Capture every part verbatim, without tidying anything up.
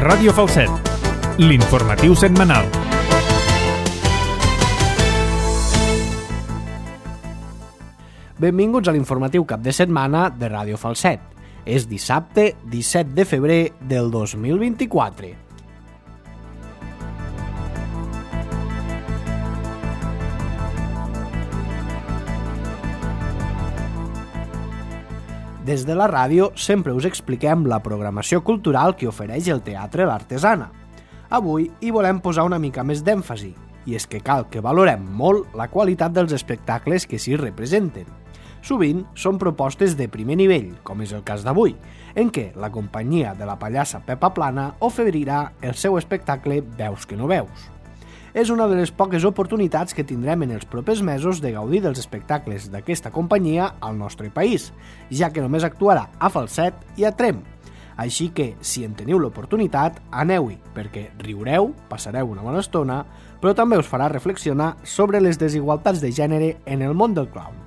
Ràdio Falset, l'informatiu setmanal. Benvinguts a l'informatiu cap de setmana de Ràdio Falset. És dissabte disset de febrer del dos mil vint-i-quatre. Des de la ràdio sempre us expliquem la programació cultural que ofereix el Teatre L'Artesana. Avui hi volem posar una mica més d'èmfasi, i és que cal que valorem molt la qualitat dels espectacles que s'hi representen. Sovint són propostes de primer nivell, com és el cas d'avui, en què la companyia de la pallassa Pepa Plana oferirà el seu espectacle Veus que no veus. És una de les poques oportunitats que tindrem en els propers mesos de gaudir dels espectacles d'aquesta companyia al nostre país, ja que només actuarà a Falset i a Tremp. Així que, si en teniu l'oportunitat, aneu-hi, perquè riureu, passareu una bona estona, però també us farà reflexionar sobre les desigualtats de gènere en el món del clown.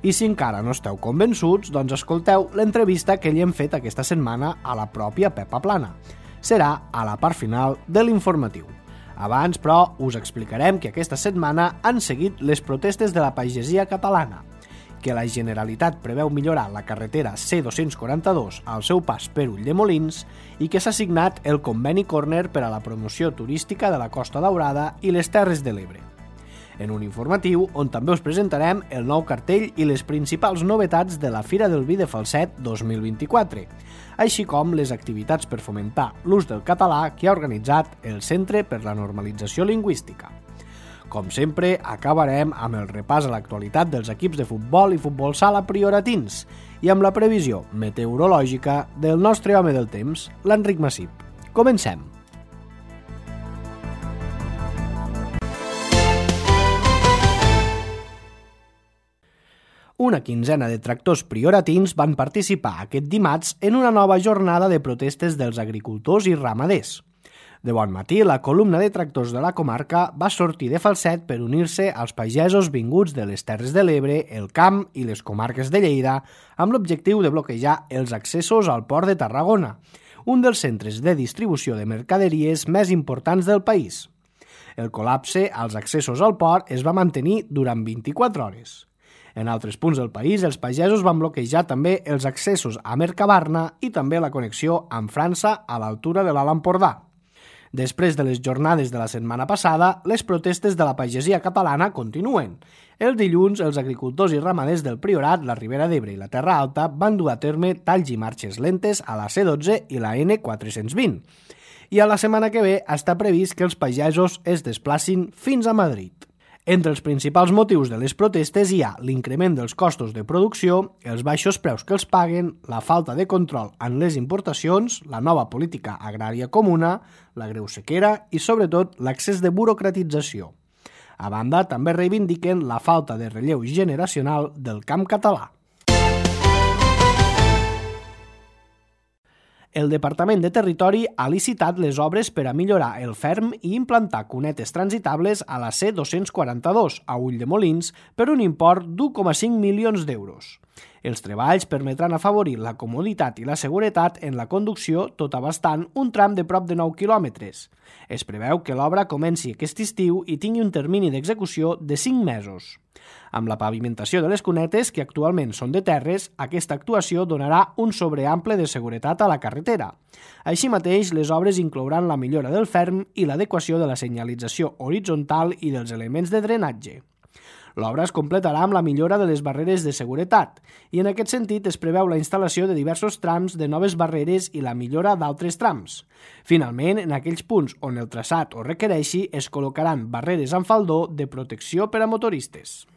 I si encara no esteu convençuts, doncs escolteu l'entrevista que li hem fet aquesta setmana a la pròpia Pepa Plana. Serà a la part final de l'informatiu. Abans, però, us explicarem que aquesta setmana han seguit les protestes de la pagesia catalana, que la Generalitat preveu millorar la carretera C dos-cents quaranta-dos al seu pas per Ulldemolins i que s'ha signat el conveni Corner per a la promoció turística de la Costa Daurada i les Terres de l'Ebre. En un informatiu on també us presentarem el nou cartell i les principals novetats de la Fira del Vi de Falset dos mil vint-i-quatre, així com les activitats per fomentar l'ús del català que ha organitzat el Centre per la Normalització Lingüística. Com sempre, acabarem amb el repàs a l'actualitat dels equips de futbol i futbol sala prioratins i amb la previsió meteorològica del nostre home del temps, l'Enric Massip. Comencem! Una quinzena de tractors prioratins van participar aquest dimarts en una nova jornada de protestes dels agricultors i ramaders. De bon matí, la columna de tractors de la comarca va sortir de Falset per unir-se als pagesos vinguts de les Terres de l'Ebre, el Camp i les comarques de Lleida amb l'objectiu de bloquejar els accessos al port de Tarragona, un dels centres de distribució de mercaderies més importants del país. El col·lapse als accessos al port es va mantenir durant vint-i-quatre hores. En altres punts del país, els pagesos van bloquejar també els accessos a Mercabarna i també la connexió amb França a l'altura de l'Alt Empordà. Després de les jornades de la setmana passada, les protestes de la pagesia catalana continuen. El dilluns, els agricultors i ramaders del Priorat, la Ribera d'Ebre i la Terra Alta van dur a terme talls i marxes lentes a la C dotze i la N quatre-cents vint. I a la setmana que ve està previst que els pagesos es desplacin fins a Madrid. Entre els principals motius de les protestes hi ha l'increment dels costos de producció, els baixos preus que els paguen, la falta de control en les importacions, la nova política agrària comuna, la greu sequera i, sobretot, l'accés de burocratització. A banda, també reivindiquen la falta de relleu generacional del camp català. El Departament de Territori ha licitat les obres per a millorar el ferm i implantar cunetes transitables a la C dos-cents quaranta-dos a Ulldemolins per un import d'u coma cinc milions d'euros. Els treballs permetran afavorir la comoditat i la seguretat en la conducció tot abastant un tram de prop de nou quilòmetres. Es preveu que l'obra comenci aquest estiu i tingui un termini d'execució de cinc mesos. Amb la pavimentació de les cunetes, que actualment són de terres, aquesta actuació donarà un sobreample de seguretat a la carretera. Així mateix, les obres inclouran la millora del ferm i l'adequació de la senyalització horitzontal i dels elements de drenatge. L'obra es completarà amb la millora de les barreres de seguretat i en aquest sentit es preveu la instal·lació de diversos trams de noves barreres i la millora d'altres trams. Finalment, en aquells punts on el traçat ho requereixi, es col·locaran barreres amb faldó de protecció per a motoristes.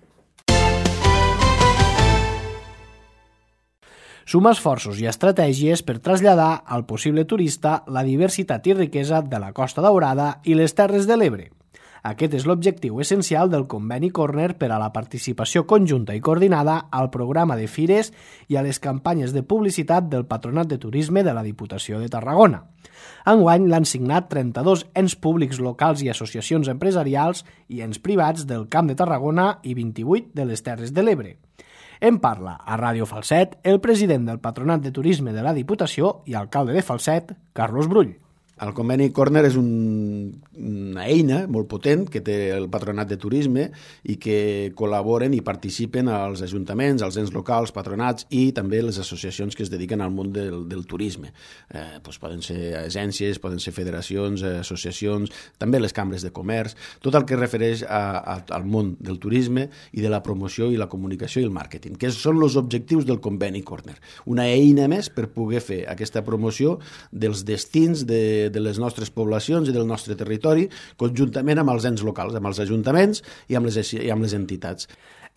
Suma esforços i estratègies per traslladar al possible turista la diversitat i riquesa de la Costa Daurada i les Terres de l'Ebre. Aquest és l'objectiu essencial del conveni Corner per a la participació conjunta i coordinada al programa de fires i a les campanyes de publicitat del Patronat de Turisme de la Diputació de Tarragona. Enguany l'han signat trenta-dos ens públics locals i associacions empresarials i ens privats del Camp de Tarragona i vint-i-vuit de les Terres de l'Ebre. En parla a Ràdio Falset el president del Patronat de Turisme de la Diputació i alcalde de Falset, Carlos Brull. El Conveni Corner és un, una eina molt potent que té el Patronat de Turisme i que col·laboren i participen als ajuntaments, als ens locals, patronats i també les associacions que es dediquen al món del, del turisme. Eh, doncs poden ser agències, poden ser federacions, associacions, també les cambres de comerç, tot el que es refereix a, a, al món del turisme i de la promoció i la comunicació i el màrqueting, que són els objectius del Conveni Corner. Una eina més per poder fer aquesta promoció dels destins de de les nostres poblacions i del nostre territori, conjuntament amb els ens locals, amb els ajuntaments i amb les, i amb les entitats.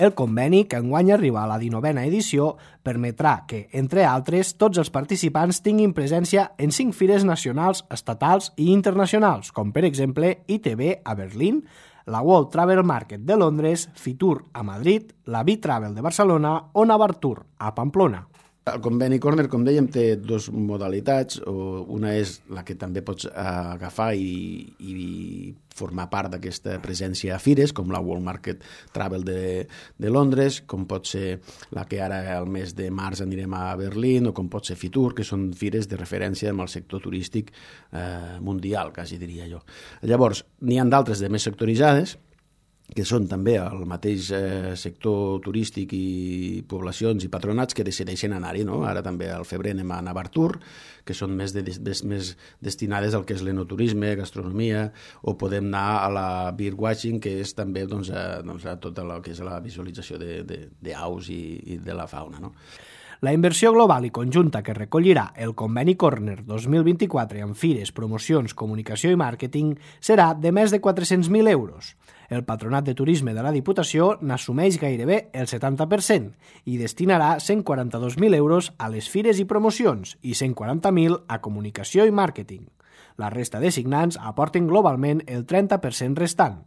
El conveni, que enguany arriba a la dinovena edició, permetrà que, entre altres, tots els participants tinguin presència en cinc fires nacionals, estatals i internacionals, com per exemple I T B a Berlín, la World Travel Market de Londres, Fitur a Madrid, la B-Travel de Barcelona o Navartur a Pamplona. El Conveni Corner, com dèiem, té dues modalitats. Una és la que també pots agafar i, i formar part d'aquesta presència a fires, com la World Market Travel de, de Londres, com pot ser la que ara al mes de març anirem a Berlín, o com pot ser Fitur, que són fires de referència amb el sector turístic eh, mundial, quasi diria jo. Llavors, n'hi ha d'altres de més sectoritzades, que són també el mateix eh, sector turístic i poblacions i patronats que decideixen anar-hi, no? Ara també al febrer anem a Navartur, que són més, de, més, més destinades al que és l'enoturisme, gastronomia, o podem anar a la birdwatching, que és també doncs, a, doncs, a tota la que és la visualització d'aus i, i de la fauna, no? La inversió global i conjunta que recollirà el Conveni Corner dos mil vint-i-quatre amb fires, promocions, comunicació i màrqueting serà de més de quatre-cents mil euros. El Patronat de Turisme de la Diputació n'assumeix gairebé el setanta per cent i destinarà cent quaranta-dos mil euros a les fires i promocions i cent quaranta mil a comunicació i màrqueting. La resta de signants aporten globalment el trenta per cent restant.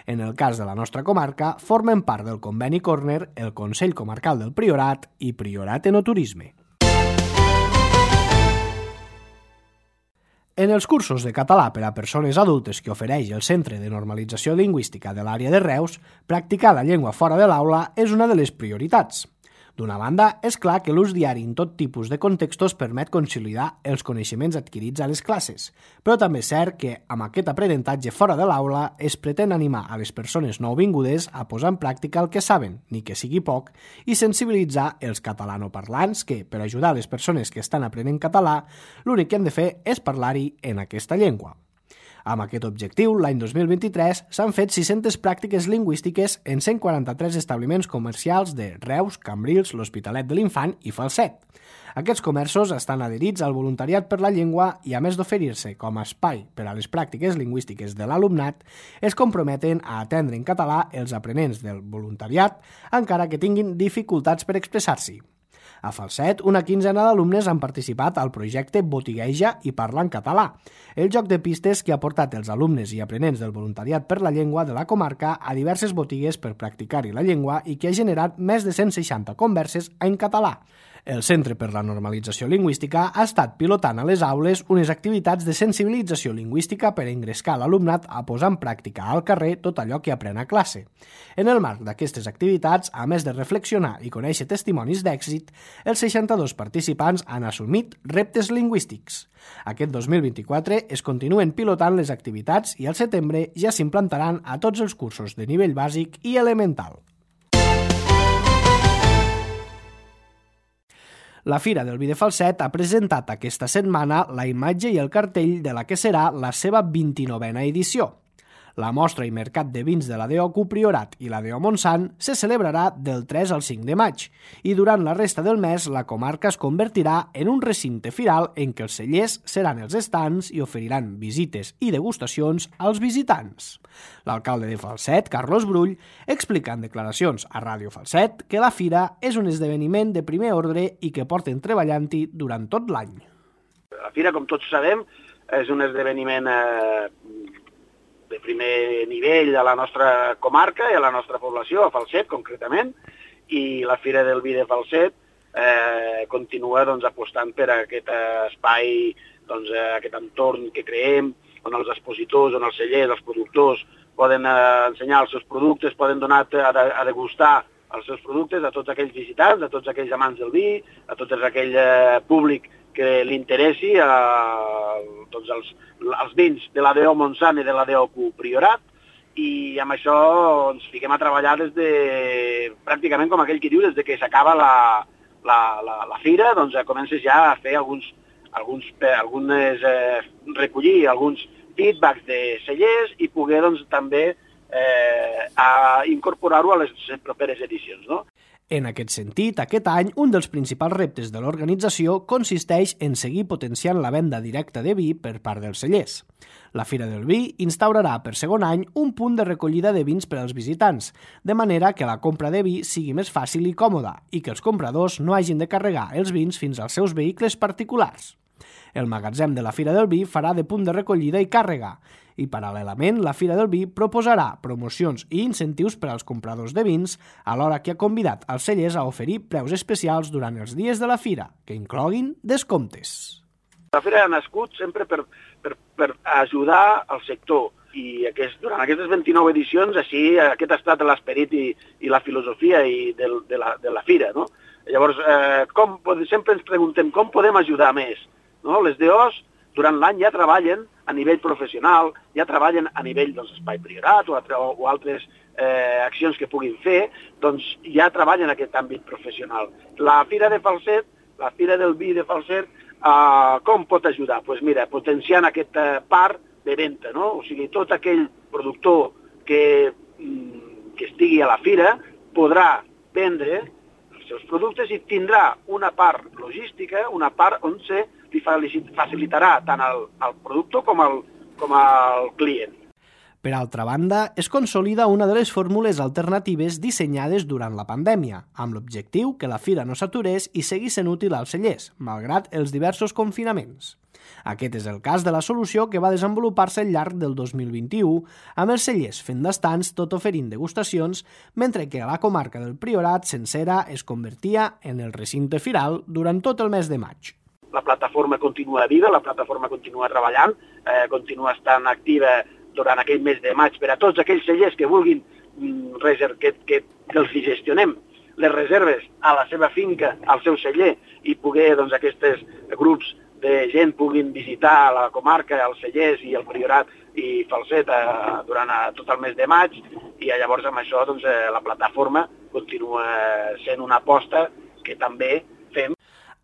En el cas de la nostra comarca, formen part del Conveni Corner el Consell Comarcal del Priorat i Priorat Enoturisme. En els cursos de català per a persones adultes que ofereix el Centre de Normalització Lingüística de l'àrea de Reus, practicar la llengua fora de l'aula és una de les prioritats. D'una banda, és clar que l'ús diari en tot tipus de contextos permet consolidar els coneixements adquirits a les classes, però també és cert que, amb aquest aprenentatge fora de l'aula, es pretén animar a les persones nouvingudes a posar en pràctica el que saben, ni que sigui poc, i sensibilitzar els catalanoparlants que, per ajudar les persones que estan aprenent català, l'únic que hem de fer és parlar-hi en aquesta llengua. Amb aquest objectiu, l'any dos mil vint-i-tres s'han fet sis-centes pràctiques lingüístiques en cent quaranta-tres establiments comercials de Reus, Cambrils, l'Hospitalet de l'Infant i Falset. Aquests comerços estan adherits al voluntariat per la llengua i, a més d'oferir-se com a espai per a les pràctiques lingüístiques de l'alumnat, es comprometen a atendre en català els aprenents del voluntariat, encara que tinguin dificultats per expressar-s'hi. A Falset, una quinzena d'alumnes han participat al projecte Botigueja i Parla en Català, el joc de pistes que ha portat els alumnes i aprenents del voluntariat per la llengua de la comarca a diverses botigues per practicar-hi la llengua i que ha generat més de cent seixanta converses en català. El Centre per la Normalització Lingüística ha estat pilotant a les aules unes activitats de sensibilització lingüística per engrescar l'alumnat a posar en pràctica al carrer tot allò que aprèn a classe. En el marc d'aquestes activitats, a més de reflexionar i conèixer testimonis d'èxit, els seixanta-dos participants han assumit reptes lingüístics. Aquest dos mil vint-i-quatre es continuen pilotant les activitats i al setembre ja s'implantaran a tots els cursos de nivell bàsic i elemental. La Fira del Vi de Falset ha presentat aquesta setmana la imatge i el cartell de la que serà la seva vint-i-novena edició. La mostra i mercat de vins de la D O C U Priorat i la D O Montsant se celebrarà del tres al cinc de maig i durant la resta del mes la comarca es convertirà en un recinte firal en què els cellers seran els estants i oferiran visites i degustacions als visitants. L'alcalde de Falset, Carlos Brull, explica en declaracions a Ràdio Falset que la fira és un esdeveniment de primer ordre i que porten treballant-hi durant tot l'any. La fira, com tots sabem, és un esdeveniment eh, de primer nivell a la nostra comarca i a la nostra població, a Falset concretament, i la Fira del Vi de Falset eh, continua doncs, apostant per aquest espai, doncs, aquest entorn que creem, on els expositors, on els cellers, els productors poden eh, ensenyar els seus productes, poden donar a, a degustar els seus productes a tots aquells visitants, a tots aquells amants del vi, a tot aquell eh, públic que li interessi a tots els, els vins de l'A D O Montsant i de l'A D O Q Priorat, i amb això ens fiquem a treballar des de, pràcticament com aquell que diu, des de que s'acaba la, la, la, la fira, doncs comences ja a fer alguns, alguns, algunes, eh, recollir alguns feedbacks de cellers i poder doncs, també eh, a incorporar-ho a les properes edicions, no? En aquest sentit, aquest any, un dels principals reptes de l'organització consisteix en seguir potenciant la venda directa de vi per part dels cellers. La Fira del Vi instaurarà per segon any un punt de recollida de vins per als visitants, de manera que la compra de vi sigui més fàcil i còmoda i que els compradors no hagin de carregar els vins fins als seus vehicles particulars. El magatzem de la Fira del Vi farà de punt de recollida i càrrega, i paral·lelament la Fira del Vi proposarà promocions i incentius per als compradors de vins, alhora que ha convidat els cellers a oferir preus especials durant els dies de la fira, que incloguin descomptes. La fira ha nascut sempre per, per, per ajudar al sector i aquest, durant aquestes vint-i-nou edicions així aquest ha estat l'esperit i, i la filosofia i de, de, la, de la fira. No? Llavors, eh, com, sempre ens preguntem com podem ajudar més. No? Les D Os durant l'any ja treballen a nivell professional, ja treballen a nivell doncs, espai priorat o, o, o altres eh, accions que puguin fer, doncs ja treballen en aquest àmbit professional. La Fira de Falset, la Fira del Vi de Falset, eh, com pot ajudar? Doncs pues mira, potenciant aquesta part de venda, no? O sigui, tot aquell productor que, que estigui a la fira podrà vendre els seus productes i tindrà una part logística, una part on se li facilitarà tant al, al productor com al, com al client. Per altra banda, es consolida una de les fórmules alternatives dissenyades durant la pandèmia, amb l'objectiu que la fira no s'aturés i seguís sent útil als cellers, malgrat els diversos confinaments. Aquest és el cas de la solució que va desenvolupar-se al llarg del dos mil vint-i-u, amb els cellers fent d'estants tot oferint degustacions, mentre que la comarca del Priorat sencera es convertia en el recinte firal durant tot el mes de maig. La plataforma continua viva, la plataforma continua treballant, eh, continua estant activa durant aquell mes de maig per a tots aquells cellers que vulguin mm, reser- que, que, que els gestionem les reserves a la seva finca, al seu celler, i poder doncs, aquests grups de gent puguin visitar la comarca, els cellers i el Priorat i Falset eh, durant eh, tot el mes de maig, i llavors amb això doncs, eh, la plataforma continua sent una aposta que també fem.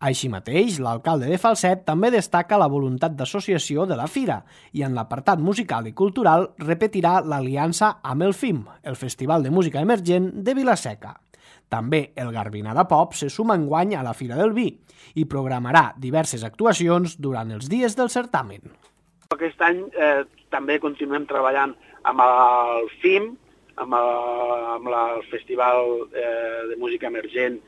Així mateix, l'alcalde de Falset també destaca la voluntat d'associació de la fira i en l'apartat musical i cultural repetirà l'aliança amb el F I M, el Festival de Música Emergent de Vila-seca. També el Garbinada Pop se suma enguany a la Fira del Vi i programarà diverses actuacions durant els dies del certamen. Aquest any eh, també continuem treballant amb el F I M, amb el, amb el Festival eh, de Música Emergent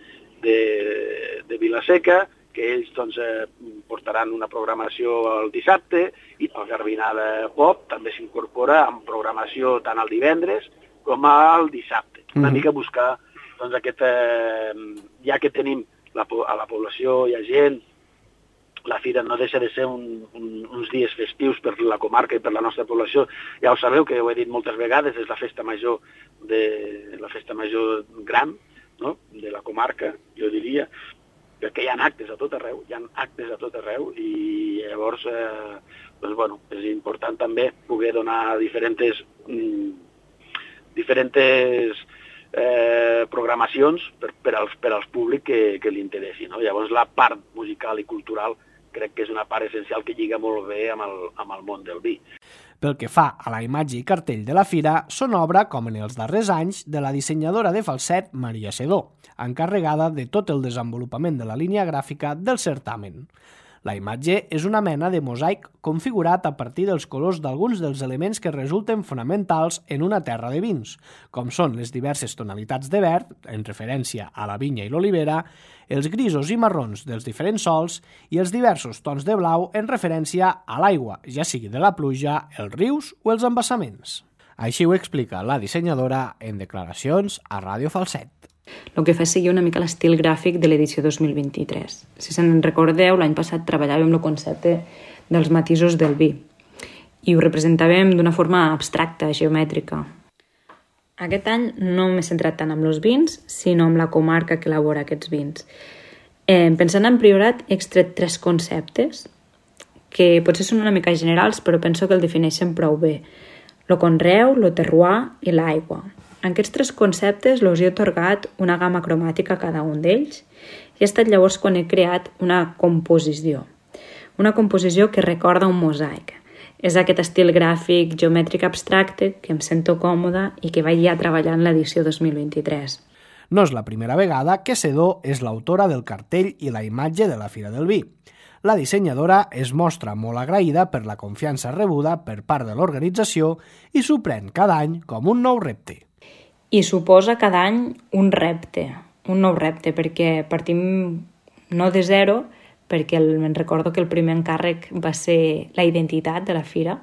de, de Vila-seca, que ells doncs, eh, portaran una programació el dissabte, i el Garbinada Pop també s'incorpora amb programació tant el divendres com el dissabte. Una mm-hmm. mica buscar doncs, aquest, eh, ja que tenim la, a la població hi ha gent, la fira no deixa de ser un, un, uns dies festius per la comarca i per la nostra població. Ja ho sabeu, que ho he dit moltes vegades, és la festa major, de, la festa major gran, no? De la comarca, jo diria, perquè hi ha actes a tot arreu, hi ha actes a tot arreu, i llavors eh, doncs, bueno, és important també poder donar diferents, mm, diferents eh, programacions per, per, als, per als públics que, que li interessi. No? Llavors la part musical i cultural crec que és una part essencial que lliga molt bé amb el, amb el món del vi. Pel que fa a la imatge i cartell de la fira, són obra, com en els darrers anys, de la dissenyadora de Falset, Maria Sedó, encarregada de tot el desenvolupament de la línia gràfica del certamen. La imatge és una mena de mosaic configurat a partir dels colors d'alguns dels elements que resulten fonamentals en una terra de vins, com són les diverses tonalitats de verd, en referència a la vinya i l'olivera, els grisos i marrons dels diferents sols i els diversos tons de blau en referència a l'aigua, ja sigui de la pluja, els rius o els embassaments. Així ho explica la dissenyadora en declaracions a Ràdio Falset. El que fa seguir una mica l'estil gràfic de l'edició dos mil vint-i-tres. Si se'n recordeu, l'any passat treballàvem el concepte dels matisos del vi i ho representàvem d'una forma abstracta, geomètrica. Aquest any no m'he centrat tant en els vins, sinó en la comarca que elabora aquests vins. Eh, pensant en Priorat, he extret tres conceptes que potser són una mica generals, però penso que el defineixen prou bé. Lo conreu, lo terroir i l'aigua. En aquests tres conceptes els he atorgat una gamma cromàtica a cada un d'ells i ha estat llavors quan he creat una composició. Una composició que recorda un mosaic. És aquest estil gràfic geomètric abstracte que em sento còmoda i que vaig ja treballar en l'edició dos mil vint-i-tres. No és la primera vegada que Sedó és l'autora del cartell i la imatge de la Fira del Vi. La dissenyadora es mostra molt agraïda per la confiança rebuda per part de l'organització i s'ho pren cada any com un nou repte. I suposa cada any un repte, un nou repte, perquè partim no de zero, perquè el, me'n recordo que el primer encàrrec va ser la identitat de la fira,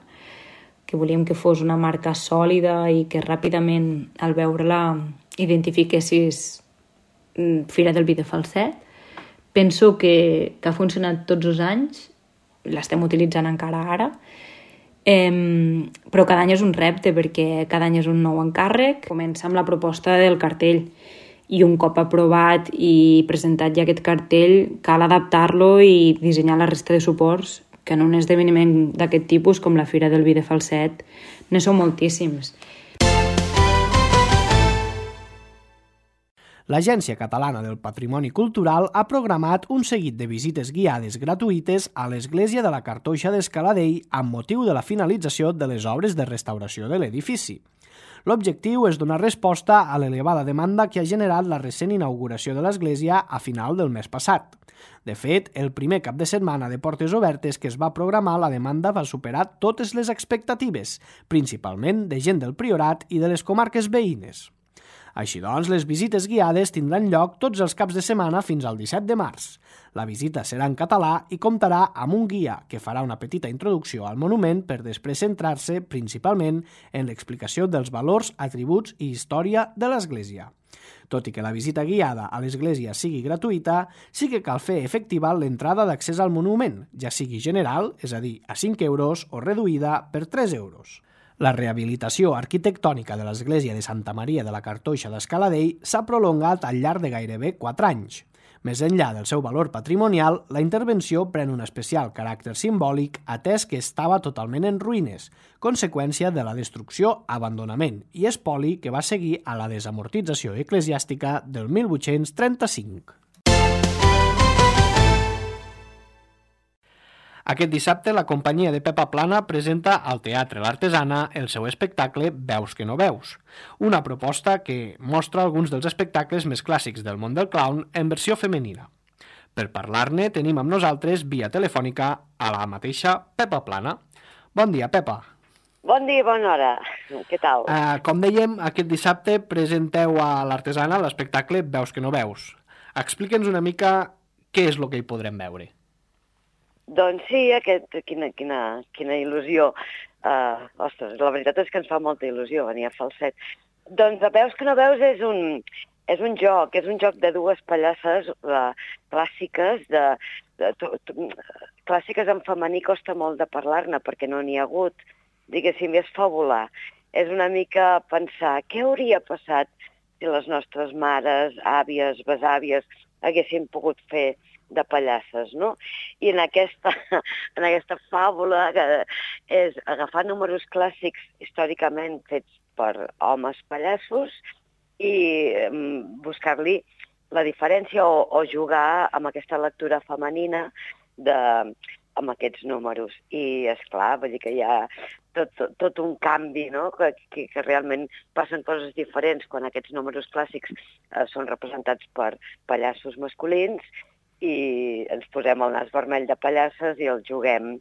que volíem que fos una marca sòlida i que ràpidament, al veure-la, identifiquessis Fira del Vi de Falset. Penso que, que ha funcionat tots els anys, l'estem utilitzant encara ara, eh, però cada any és un repte perquè cada any és un nou encàrrec. Comença amb la proposta del cartell i un cop aprovat i presentat ja aquest cartell cal adaptar-lo i dissenyar la resta de suports, que en un esdeveniment d'aquest tipus com la Fira del Vi de Falset ne són moltíssims. L'Agència Catalana del Patrimoni Cultural ha programat un seguit de visites guiades gratuïtes a l'Església de la Cartoixa d'Escaladei amb motiu de la finalització de les obres de restauració de l'edifici. L'objectiu és donar resposta a l'elevada demanda que ha generat la recent inauguració de l'església a final del mes passat. De fet, el primer cap de setmana de portes obertes que es va programar, la demanda va superar totes les expectatives, principalment de gent del Priorat i de les comarques veïnes. Així doncs, les visites guiades tindran lloc tots els caps de setmana fins al disset de març. La visita serà en català i comptarà amb un guia que farà una petita introducció al monument per després centrar-se principalment en l'explicació dels valors, atributs i història de l'església. Tot i que la visita guiada a l'església sigui gratuïta, sí que cal fer efectiva l'entrada d'accés al monument, ja sigui general, és a dir, a cinc euros, o reduïda per tres euros. La rehabilitació arquitectònica de l'església de Santa Maria de la Cartoixa d'Escaladei s'ha prolongat al llarg de gairebé quatre anys. Més enllà del seu valor patrimonial, la intervenció pren un especial caràcter simbòlic atès que estava totalment en ruïnes, conseqüència de la destrucció, abandonament i espoli que va seguir a la desamortització eclesiàstica del mil vuit-cents trenta-cinc. Aquest dissabte, la companyia de Pepa Plana presenta al Teatre l'Artesana el seu espectacle Veus que no veus, una proposta que mostra alguns dels espectacles més clàssics del món del clown en versió femenina. Per parlar-ne, tenim amb nosaltres, via telefònica, a la mateixa Pepa Plana. Bon dia, Pepa. Bon dia, bona hora. Què tal? Uh, com dèiem, aquest dissabte presenteu a l'Artesana l'espectacle Veus que no veus. Explica'ns una mica què és el que hi podrem veure. Doncs sí, aquest, quina, quina, quina il·lusió. Uh, ostres, la veritat és que ens fa molta il·lusió venir a Falset. Doncs Veus que no veus és un, és un joc, és un joc de dues pallasses uh, clàssiques, de, de, de, de, clàssiques en femení costa molt de parlar-ne perquè no n'hi ha hagut, diguéssim, és fàbula. És una mica pensar què hauria passat si les nostres mares, àvies, besàvies haguessin pogut fer de pallasses, no? I en aquesta, en aquesta fàbula, que és agafar números clàssics històricament fets per homes pallassos i buscar-li la diferència o, o jugar amb aquesta lectura femenina de, amb aquests números. I, esclar, vull dir que hi ha tot, tot, tot un canvi, no? Que, que, que realment passen coses diferents quan aquests números clàssics eh, són representats per pallassos masculins i ens posem el nas vermell de pallasses i el juguem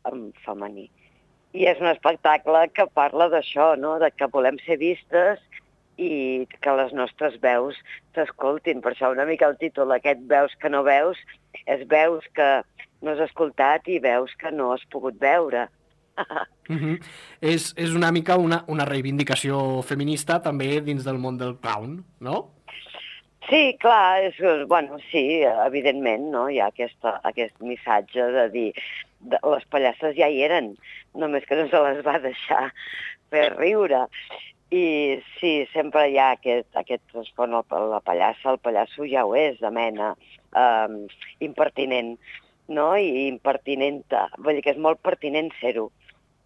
en femení. I és un espectacle que parla d'això, no? De que volem ser vistes i que les nostres veus s'escoltin. Per això una mica el títol, aquest Veus que no veus, és veus que no has escoltat i veus que no has pogut veure. Uh-huh. és, és una mica una, una reivindicació feminista també dins del món del clown, no? Sí, clar, és, bueno, sí, evidentment, no? Hi ha aquesta, aquest missatge de dir de, les pallasses ja hi eren, només que no se les va deixar fer riure. I sí, sempre hi ha aquest, aquest respon a la pallassa, el pallasso ja ho és, de mena, um, impertinent, no? I impertinenta, vull dir que és molt pertinent ser-ho.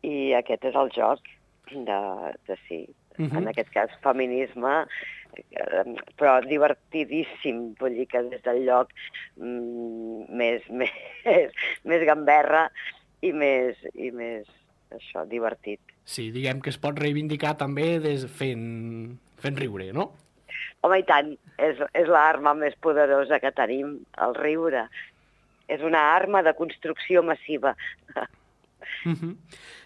I aquest és el joc de, de sí, uh-huh. En aquest cas feminisme, però divertidíssim, vull dir que des del lloc mm, més, més, més gamberra i més, i més això, divertit. Sí, diguem que es pot reivindicar també des fent, fent riure, no? Home, i tant, és, és l'arma més poderosa que tenim, el riure. És una arma de construcció massiva. Uh-huh.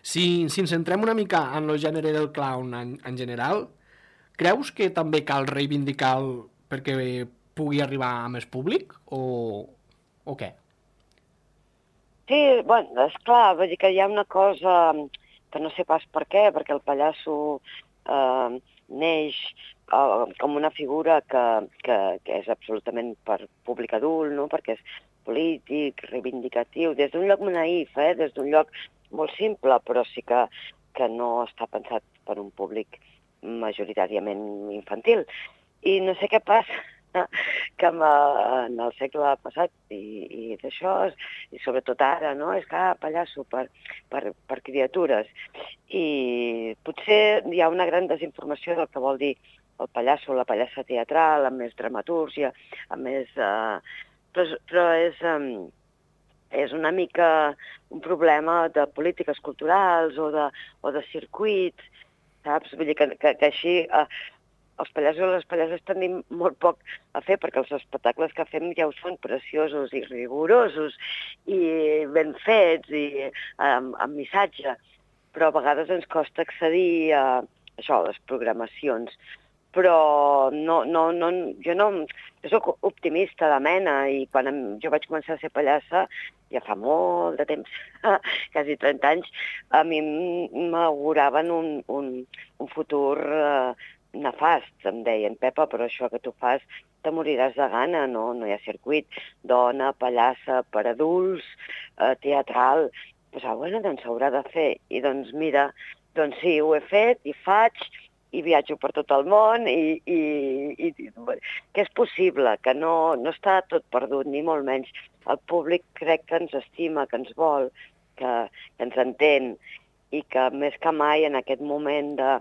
Si, si ens centrem una mica en el gènere del clown en, en general, creus que també cal reivindicar-lo perquè pugui arribar a més públic o, o què? Sí, bueno, esclar, vull dir que hi ha una cosa que no sé pas per què, perquè el pallasso eh, neix eh, com una figura que, que, que és absolutament per públic adult, no? Perquè és polític, reivindicatiu, des d'un lloc naïf, eh? Des d'un lloc molt simple, però sí que, que no està pensat per un públic majoritàriament infantil. I no sé què passa, que en el segle passat i, i d'això, i sobretot ara, no? És que ah, pallasso per, per, per criatures. I potser hi ha una gran desinformació del que vol dir el pallasso, la pallassa teatral, amb més dramatúrgia, amb més... Eh, però, però és, um, és una mica un problema de polítiques culturals o de, o de circuits, saps? Vull dir que, que, que així... Eh, els pallassos i les pallasses tenim molt poc a fer, perquè els espectacles que fem ja ho són preciosos i rigorosos i ben fets i amb, amb missatge, però a vegades ens costa accedir a això, a les programacions. Però no, no, no, jo no... Jo soc optimista de mena i quan em, jo vaig començar a ser pallassa, ja fa molt de temps, quasi trenta anys, a mi m'auguraven un, un, un futur... Eh, nefast, em deien, Pepa, però això que tu fas te moriràs de gana, no? No hi ha circuit. Dona, pallassa, per adults, eh, teatral... Pues, ah, bueno, doncs s'haurà de fer. I doncs mira, doncs sí, ho he fet i faig i viatjo per tot el món i, i, i que és possible, que no, no està tot perdut, ni molt menys. El públic crec que ens estima, que ens vol, que, que ens entén i que més que mai en aquest moment de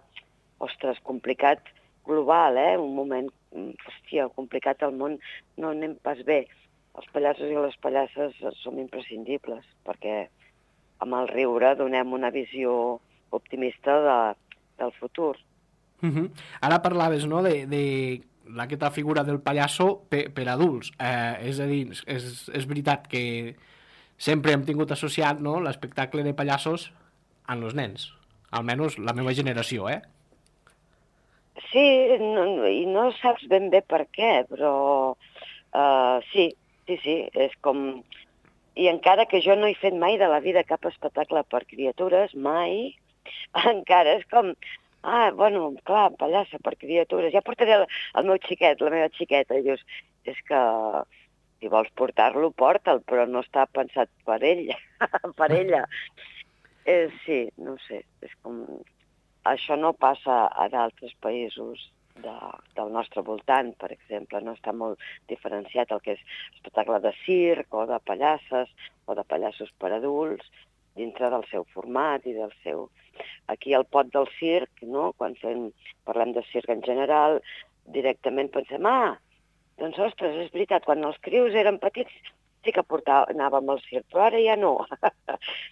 ostres, complicat global, eh? Un moment, hòstia, complicat al món, no anem pas bé. Els pallassos i les pallasses som imprescindibles, perquè amb el riure donem una visió optimista de, del futur. Uh-huh. Ara parlaves, no?, de, de aquesta figura del pallasso per, per adults. Eh, és a dir, és, és veritat que sempre hem tingut associat, no?, l'espectacle de pallassos amb els nens. Almenys la meva generació, eh? Sí, no, i no saps ben bé per què, però uh, sí, sí, sí, és com... I encara que jo no he fet mai de la vida cap espectacle per criatures, mai, encara és com... Ah, bueno, clar, pallassa per criatures, ja portaré el, el meu xiquet, la meva xiqueta, i dius, és que si vols portar-lo, porta'l, però no està pensat per ella, per ella. Eh, sí, no sé, és com... Això no passa a d'altres països de, del nostre voltant, per exemple. No està molt diferenciat el que és espectacle de circ o de pallasses o de pallassos per adults dintre del seu format i del seu... Aquí al pot del circ, no? Quan fem, parlem de circ en general, directament pensem, ah, doncs ostres, és veritat, quan els crios eren petits sí que portava, anàvem al circ, però ara ja no.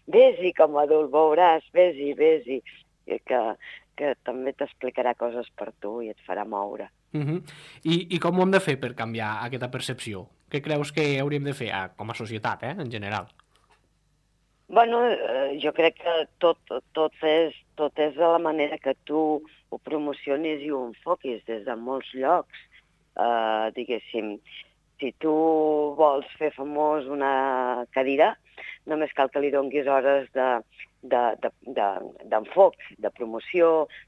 Vés-hi com a adult, veuràs, vés-hi, vés-hi. Que, que també t'explicarà coses per tu i et farà moure. Uh-huh. I, I com ho hem de fer per canviar aquesta percepció? Què creus que hauríem de fer, ah, com a societat, eh, en general? Bueno, eh, jo crec que tot, tot, és, tot és de la manera que tu ho promocionis i ho enfoquis des de molts llocs. Eh, diguéssim, si tu vols fer famós una cadira, només cal que li donguis hores de... d'enfoc, de, de, de promoció,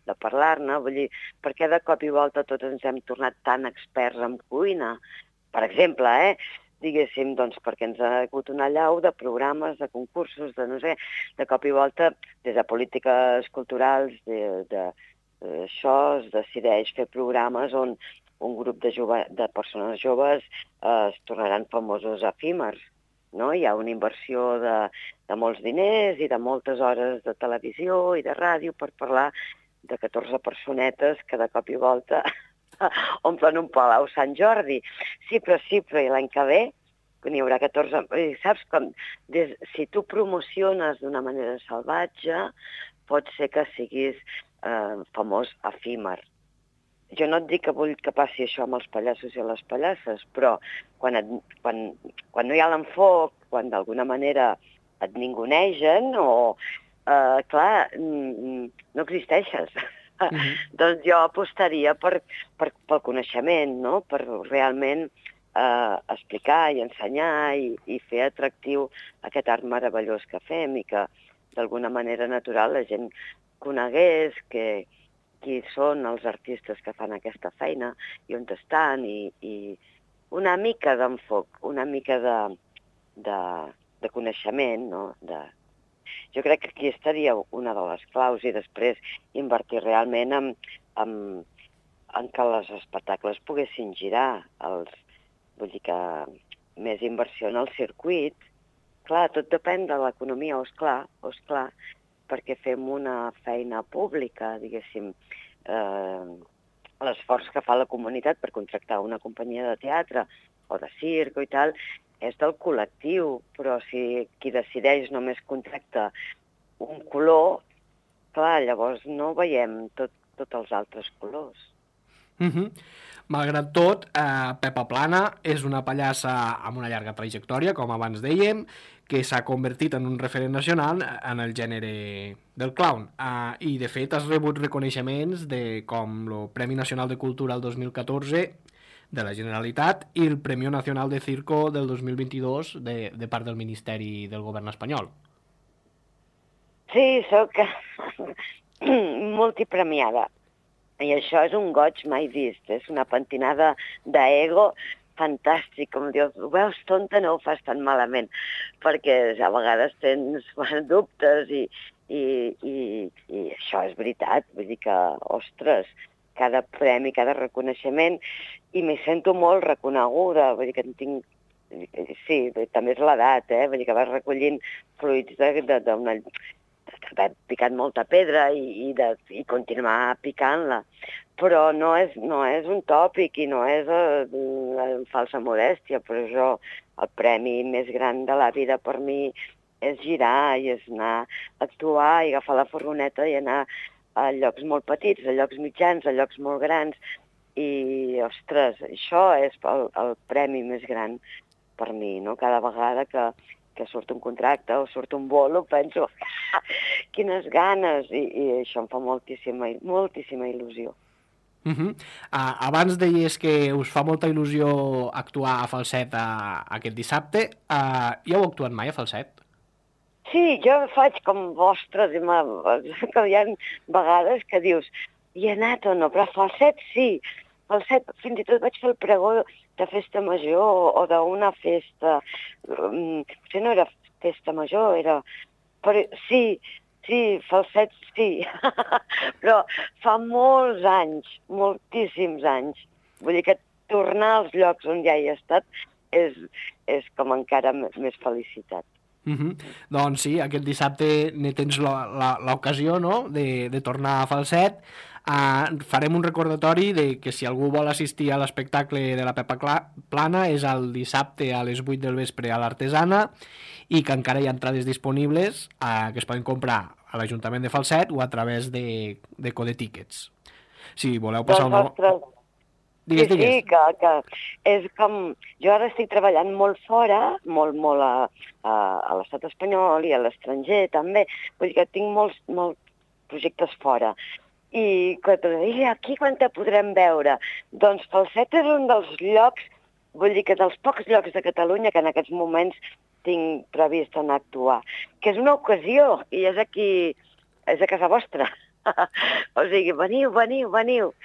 de parlar-ne, vull dir, perquè de cop i volta tots ens hem tornat tan experts en cuina, per exemple, eh? Diguéssim, doncs perquè ens ha hagut una allau de programes, de concursos, de no sé, de cop i volta, des de polítiques culturals, de, de, eh, això es decideix fer programes on un grup de, jove, de persones joves eh, es tornaran famosos efímers, no? Hi ha una inversió de, de molts diners i de moltes hores de televisió i de ràdio per parlar de catorze personetes que de cop i volta omplen un palau Sant Jordi. Sí, però sí, però i l'any que ve n'hi haurà catorze... Saps com? Des, si tu promociones d'una manera salvatge, pot ser que siguis eh, famós efímer. Jo no et dic que vull que passi això amb els pallassos i les pallasses, però quan, et, quan, quan no hi ha l'enfoc, quan d'alguna manera et ningunegen o, eh, clar, no existeixes. Mm-hmm. Doncs jo apostaria per, per, pel coneixement, no? Per realment eh, explicar i ensenyar i, i fer atractiu aquest art meravellós que fem i que d'alguna manera natural la gent conegués que qui són els artistes que fan aquesta feina i on estan i, i una mica d'enfoc, una mica de, de, de coneixement, no? De... Jo crec que aquí estaria una de les claus i després invertir realment en, en, en que els espectacles poguessin girar, els, vull dir que més inversió en el circuit. Clar, tot depèn de l'economia, o esclar, o esclar, perquè fem una feina pública, diguéssim, eh, l'esforç que fa la comunitat per contractar una companyia de teatre o de circ i tal, és del col·lectiu, però si qui decideix només contracta un color, clar, llavors no veiem tot, tots els altres colors. Mm-hmm. Malgrat tot, eh, Pepa Plana és una pallassa amb una llarga trajectòria, com abans dèiem, que s'ha convertit en un referent nacional en el gènere del clown. Uh, I, de fet, has rebut reconeixements de, com el Premi Nacional de Cultura el dos mil catorze de la Generalitat i el Premi Nacional de Circo del dos mil vint-i-dos de, de part del Ministeri del Govern espanyol. Sí, sóc multipremiada. I això és un goig mai vist. És una pentinada d'ego fantàstic, com dius, ho veus tonta, no ho fas tan malament, perquè a vegades tens dubtes i, i, i, i això és veritat, vull dir que, ostres, cada premi, cada reconeixement, i m'hi sento molt reconeguda, vull dir que en tinc, sí, també és l'edat, eh? Vull dir que vas recollint fruits d'una... d'haver picat molta pedra i, i, de, i continuar picant-la. Però no és, no és un tòpic i no és uh, una falsa modèstia, però jo, el premi més gran de la vida per mi és girar i és anar a actuar i agafar la furgoneta i anar a llocs molt petits, a llocs mitjans, a llocs molt grans. I, ostres, això és el, el premi més gran per mi, no? Cada vegada que, que surt un contracte o surt un bolo, penso, quines ganes, i, i això em fa moltíssima, moltíssima il·lusió. Uh-huh. Uh, abans deies que us fa molta il·lusió actuar a Falset uh, aquest dissabte. Uh, ja heu actuat mai a Falset? Sí, jo faig com vostres, i que hi ha vegades que dius, hi he anat o no, però a Falset sí. Falset, fins i tot vaig fer el pregó de festa major o d'una festa, um, potser no era festa major, era... Però sí, sí, Falset sí, però fa molts anys, moltíssims anys. Vull dir que tornar als llocs on ja hi he estat és, és com encara més felicitat. Uh-huh. Doncs sí, aquest dissabte ne tens l'ocasió, no?, de, de tornar a Falset. Uh, farem un recordatori de que si algú vol assistir a l'espectacle de la Pepa Plana és el dissabte a les vuit del vespre a l'Artesana i que encara hi ha entrades disponibles uh, que es poden comprar a l'Ajuntament de Falset o a través de, de Code Tickets. Si voleu passar una... Vostres... Digues, sí, digues. Sí, que, que és com... Jo ara estic treballant molt fora, molt, molt a, a, a l'estat espanyol i a l'estranger també. Vull dir que tinc molts, molts projectes fora. I quan te dic, aquí quan te podrem veure? Doncs Falset és un dels llocs, vull dir que dels pocs llocs de Catalunya que en aquests moments tinc previst anar a actuar. Que és una ocasió, i és aquí, és a casa vostra. O sigui, veniu, veniu, veniu.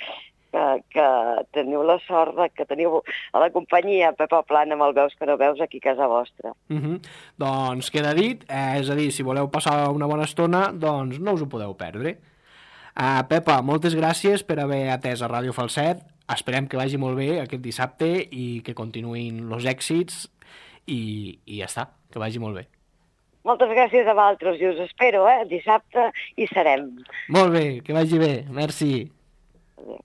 Que, que teniu la sort de que teniu a la companyia Pepa Plana amb el Veus que no veus aquí a casa vostra. Uh-huh. Doncs queda dit, eh, és a dir, si voleu passar una bona estona, doncs no us ho podeu perdre. Uh, Pepa, moltes gràcies per haver atès a Ràdio Falset. Esperem que vagi molt bé aquest dissabte i que continuïn els èxits i, i ja està, que vagi molt bé. Moltes gràcies a vosaltres i us espero, eh? Dissabte hi serem. Molt bé, que vagi bé. Merci. Adéu.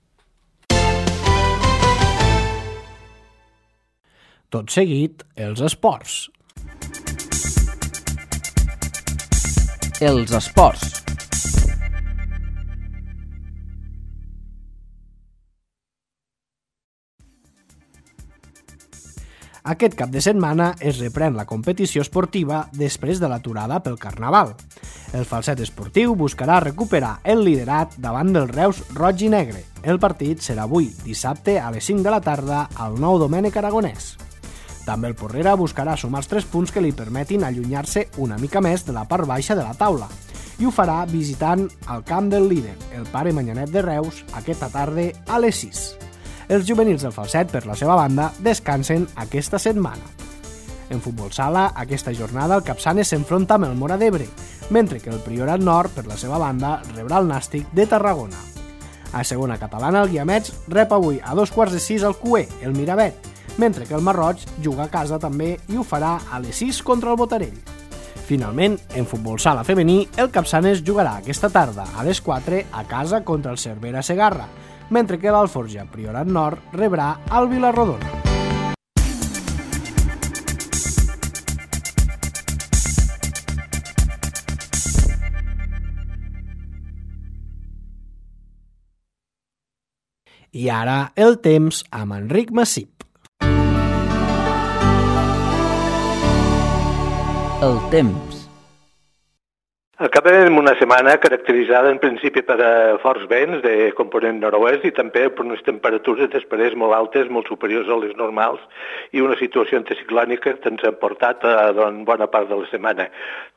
Tot seguit, els esports. Els esports. Aquest cap de setmana es reprèn la competició esportiva després de l'aturada pel Carnaval. El Falset Esportiu buscarà recuperar el liderat davant del Reus roig i negre. El partit serà avui, dissabte, a les cinc de la tarda, al Nou Domènec Aragonès. També el Porrera buscarà sumar els tres punts que li permetin allunyar-se una mica més de la part baixa de la taula, i ho farà visitant el camp del líder, el Pare Manyanet de Reus, aquesta tarda a les sis. Els juvenils del Falset, per la seva banda, descansen aquesta setmana. En futbol sala, aquesta jornada el Capçanes s'enfronta amb el Móra d'Ebre, mentre que el Priorat Nord, per la seva banda, rebrà el Nàstic de Tarragona. A segona catalana, el Guiamets rep avui a dos quarts de sis al Cué, el Miravet, mentre que el Marroig juga a casa també i ho farà a les sis contra el Botarell. Finalment, en futbol sala femení, el Capçanes jugarà aquesta tarda a les quatre a casa contra el Cervera Segarra, mentre que l'Alforja Priorat Nord rebrà el Vilarrodona. I ara el temps amb Enric Massip. El temps. Acabem una setmana caracteritzada en principi per a forts vents de component nord-oest i també per unes temperatures després molt altes, molt superiors a les normals i una situació anticiclònica que ens ha portat a doncs, bona part de la setmana.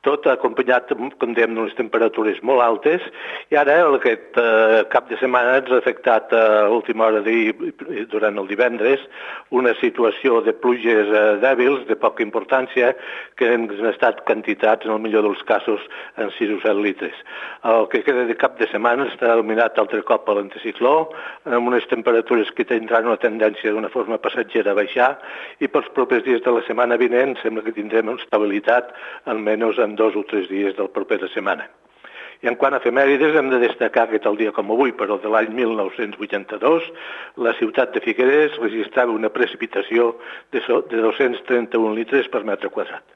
Tot acompanyat, com dèiem, d'unes temperatures molt altes i ara aquest eh, cap de setmana ens ha afectat a l'última hora de, durant el divendres una situació de pluges eh, dèbils, de poca importància, que han estat quantitats, en el millor dels casos, en sis o set litres. El que queda de cap de setmana està dominat altre cop a l'anticicló, amb unes temperatures que tindran una tendència d'una forma passatgera a baixar i pels propers dies de la setmana vinent sembla que tindrem una estabilitat almenys en dos o tres dies de la propera setmana. I en quant a efemèrides, hem de destacar que tal dia com avui, però de l'any mil nou-cents vuitanta-dos, la ciutat de Figueres registrava una precipitació de dos-cents trenta-un litres per metre quadrat.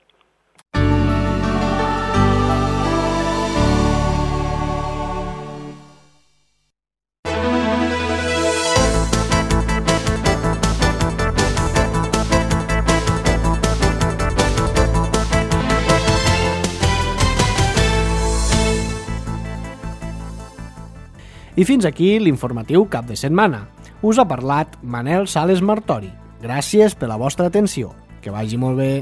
I fins aquí l'informatiu cap de setmana. Us ha parlat Manel Sales Martori. Gràcies per la vostra atenció. Que vagi molt bé.